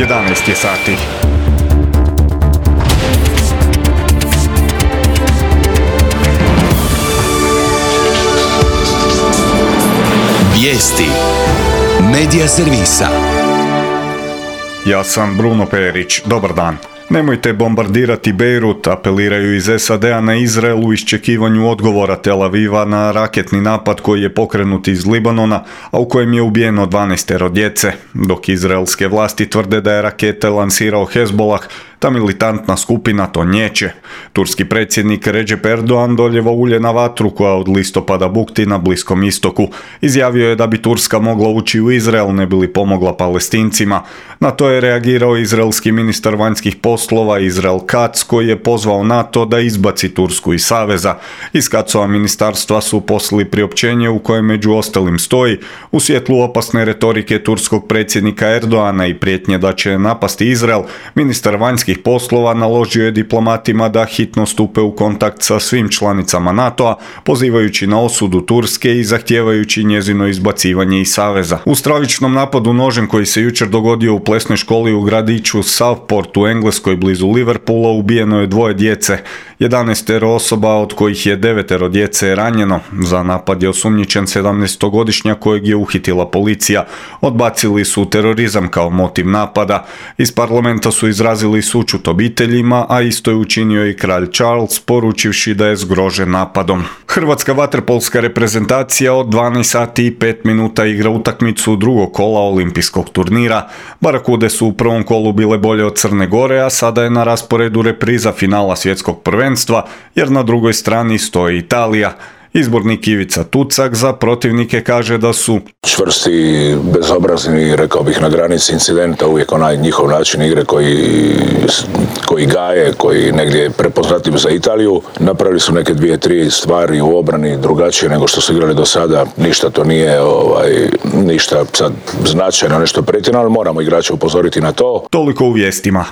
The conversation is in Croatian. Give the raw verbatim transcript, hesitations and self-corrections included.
jedanaest je sati. Vijesti Medija servisa. Ja sam Bruno Perić. Dobar dan. Nemojte bombardirati Bejrut, apeliraju iz S A D-a na Izrael u iščekivanju odgovora Tel Aviva na raketni napad koji je pokrenut iz Libanona, a u kojem je ubijeno dvanaestero djece, dok izraelske vlasti tvrde da je rakete lansirao Hezbollah. Ta militantna skupina to niječe. Turski predsjednik Recep Erdogan doljeva ulje na vatru koja od listopada bukti na Bliskom istoku. Izjavio je da bi Turska mogla ući u Izrael ne bi li pomogla Palestincima. Na to je reagirao izraelski ministar vanjskih poslova Israel Katz, koji je pozvao NATO da izbaci Tursku iz saveza. Iz Katzova ministarstva su poslali priopćenje u kojem među ostalim stoji: u svjetlu opasne retorike turskog predsjednika Erdogana i prijetnje da će napasti Izrael, ministar vanjskih poslova naložio je diplomatima da hitno stupe u kontakt sa svim članicama NATO-a, pozivajući na osudu Turske i zahtijevajući njezino izbacivanje iz saveza. U stravičnom napadu nožem koji se jučer dogodio u plesnoj školi u gradiću Southport u Engleskoj blizu Liverpoola ubijeno je dvoje djece. jedanaestero osoba, od kojih je devetero djece ranjeno. Za napad je osumnjičen sedamnaestogodišnjak kojeg je uhitila policija. Odbacili su terorizam kao motiv napada. Iz parlamenta su izrazili sućut obiteljima, a isto je učinio i kralj Charles, poručivši da je zgrožen napadom. Hrvatska vaterpolska reprezentacija od dvanaest sati i pet minuta igra utakmicu drugog kola olimpijskog turnira. Barakude su u prvom kolu bile bolje od Crne Gore, a sada je na rasporedu repriza finala svjetskog prvenstva, jer na drugoj strani stoji Italija. Izbornik Ivica Tucak za protivnike kaže da su čvrsti, bezobrazni, rekao bih na granici incidenta, uvijek onaj njihov način igre koji, koji gaje, koji negdje je prepoznatljiv za Italiju. Napravili su neke dvije, tri stvari u obrani drugačije nego što su igrali do sada. Ništa to nije ovaj, ništa sad značajno, nešto pretjerano, ali moramo igrače upozoriti na to. Toliko u vijestima.